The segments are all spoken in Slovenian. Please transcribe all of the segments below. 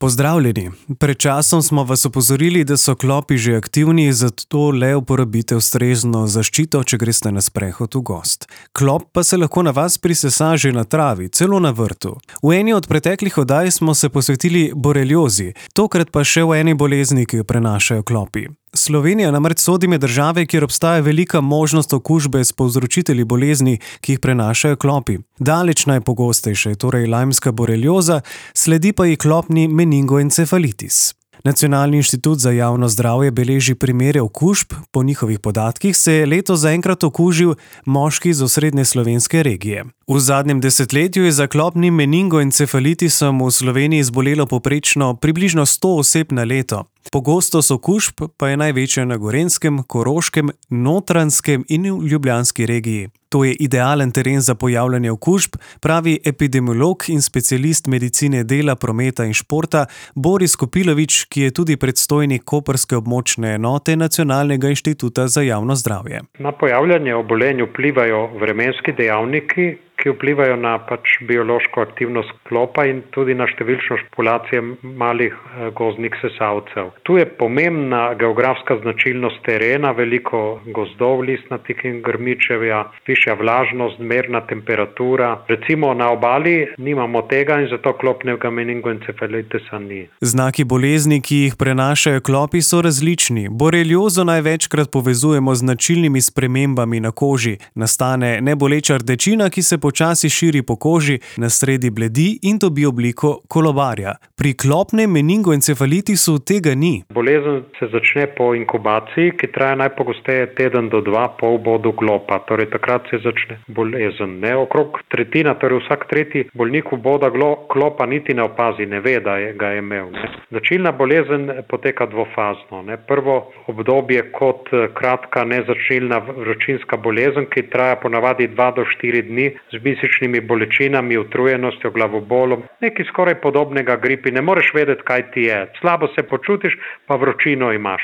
Pozdravljeni. Pred časom smo vas opozorili, da so klopi že aktivni, zato le uporabite ustrezno zaščito, če greste na sprehod v gozd. Klop pa se lahko na vas prisesa že na travi, celo na vrtu. V eni od preteklih oddaj smo se posvetili boreliozi, tokrat pa še v eni bolezni, ki jo prenašajo klopi. Slovenija namreč sodi med države, kjer obstaja velika možnost okužbe s povzročitelji bolezni, ki jih prenašajo klopi. Daleč najpogostejša je torej lajmska borelioza, sledi pa ji klopni meningoencefalitis. Nacionalni inštitut za javno zdravje beleži primere okužb, po njihovih podatkih se je letos zaenkrat okužil moški iz osrednje slovenske regije. V zadnjem desetletju je za klopnim meningoencefalitisom v Sloveniji zbolelo povprečno približno 100 oseb na leto. Pogostost okužb pa je največja na Gorenjskem, Koroškem, Notranjskem in v Ljubljanski regiji. To je idealen teren za pojavljanje okužb, pravi epidemiolog in specialist medicine dela, prometa in športa Boris Kopilovič, ki je tudi predstojnik koprske območne enote Nacionalnega inštituta za javno zdravje. Na pojavljanje obolenj vplivajo vremenski dejavniki, ki vplivajo na biološko aktivnost klopa in tudi na številčnost populacije malih gozdnih sesalcev. Tu je pomembna geografska značilnost terena, veliko gozdov, listnatih in grmičevja, višja vlažnost, merna temperatura. Recimo na obali nimamo tega in zato klopnega meningoencefalitisa ni. Znaki bolezni, ki jih prenašajo klopi, so različni. Boreliozo največkrat povezujemo z značilnimi spremembami na koži. Nastane neboleča rdečina, ki se počasi širi po koži, na sredi bledi in dobi obliko kolobarja. Pri klopnem meningoencefalitisu tega ni. Bolezen se začne po inkubaciji, ki traja najpogosteje teden do dva po vbodu klopa. Torej takrat se začne bolezen. Okrog tretjina, torej vsak tretji bolnik vboda klopa niti ne opazi, ne ve, da ga je imel. Značilna bolezen poteka dvofazno. Prvo obdobje kot kratka nezačilna vročinska bolezen, ki traja ponavadi 2 do 4 dni, z mišičnimi bolečinami, utrujenostjo, glavobolom, nekaj skoraj podobnega gripi. Ne moreš vedeti, kaj ti je. Slabo se počutiš, pa vročino imaš.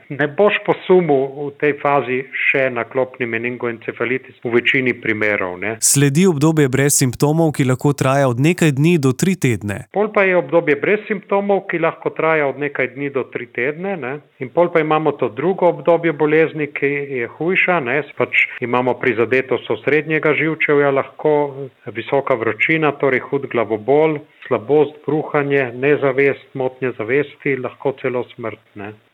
Ne boš posumil v tej fazi še na klopni meningoencefalitis v večini primerov. Sledi obdobje brez simptomov, ki lahko traja od nekaj dni do 3 tedne. Pol pa je obdobje brez simptomov, ki lahko traja od nekaj dni do 3 tedne. In pol pa imamo to drugo obdobje bolezni, ki je hujša. Imamo prizadetost osrednjega živčevja, lahko visoka vročina, torej hud glavobol, slabost, bruhanje, nezavest, motnje zavesti, lahko celo smrt.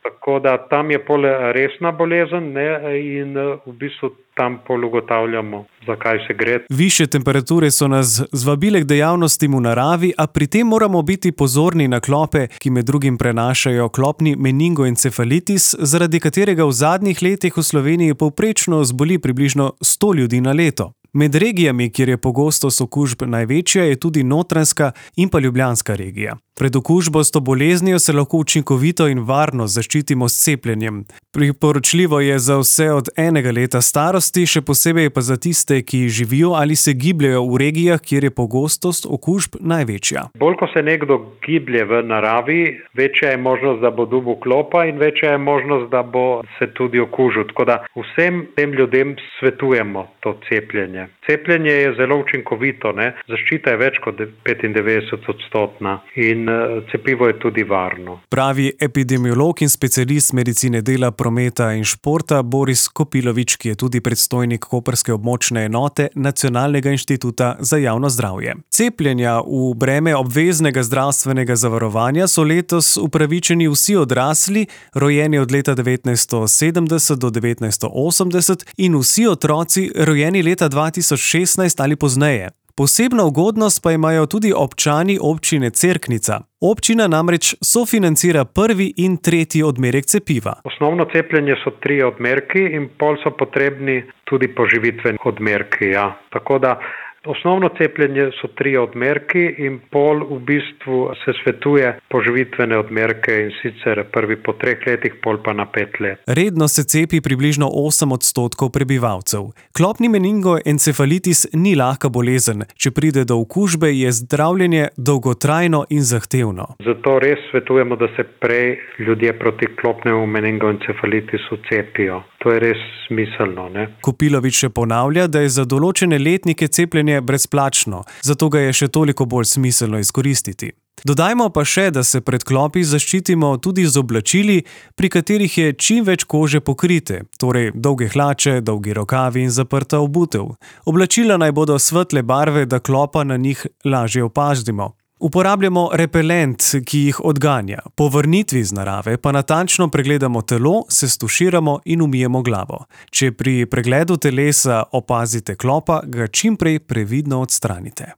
Tako da tam je pol resna bolezen in v bistvu tam pol ugotavljamo, zakaj se gre. Višje temperature so nas zvabile k dejavnostim v naravi, a pri tem moramo biti pozorni na klope, ki med drugim prenašajo klopni meningoencefalitis, zaradi katerega v zadnjih letih v Sloveniji povprečno zboli približno 100 ljudi na leto. Med regijami, kjer je pogostost okužb največja, je tudi Notranjska in pa Ljubljanska regija. Pred okužbo s to boleznijo se lahko učinkovito in varno zaščitimo s cepljenjem. Priporočljivo je za vse od 1 leta starosti, še posebej pa za tiste, ki živijo ali se gibljejo v regijah, kjer je pogostost okužb največja. Bolj ko se nekdo giblje v naravi, večja je možnost, da bo dobil klopa in večja je možnost, da bo se tudi okužil. Tako da vsem tem ljudem svetujemo to cepljenje. Cepljenje je zelo učinkovito, Zaščita je več kot 95% in cepivo je tudi varno. Pravi epidemiolog in specialist medicine dela, prometa in športa Boris Kopilovič, ki je tudi predstojnik koprske območne enote Nacionalnega inštituta za javno zdravje. Cepljenja v breme obveznega zdravstvenega zavarovanja so letos upravičeni vsi odrasli, rojeni od leta 1970 do 1980 in vsi otroci, rojeni leta 2016 ali pozneje. Posebno ugodnost pa imajo tudi občani občine Cerknica. Občina namreč sofinancira 1. in 3. odmerek cepiva. Osnovno cepljenje so 3 odmerki in pol so potrebni tudi poživitveni odmerki. Tako da osnovno cepljenje so 3 odmerki in pol v bistvu se svetuje poživitvene odmerke in sicer prvi po 3 letih, pol pa na 5 let. Redno se cepi približno 8% prebivalcev. Klopni meningoencefalitis ni lahka bolezen. Če pride do okužbe, je zdravljenje dolgotrajno in zahtevno. Zato res svetujemo, da se prej ljudje proti klopnemu meningoencefalitisu cepijo. To je res smiselno. Kopilovič še ponavlja, da je za določene letnike cepljenje brezplačno, zato ga je še toliko bolj smiselno izkoristiti. Dodajmo pa še, da se pred klopi zaščitimo tudi z oblačili, pri katerih je čim več kože pokrite, torej dolge hlače, dolgi rokavi in zaprta obutev. Oblačila naj bodo svetle barve, da klopa na njih lažje opazimo. Uporabljamo repelent, ki jih odganja. Po vrnitvi iz narave pa natančno pregledamo telo, se stuširamo in umijemo glavo. Če pri pregledu telesa opazite klopa, ga čim prej previdno odstranite.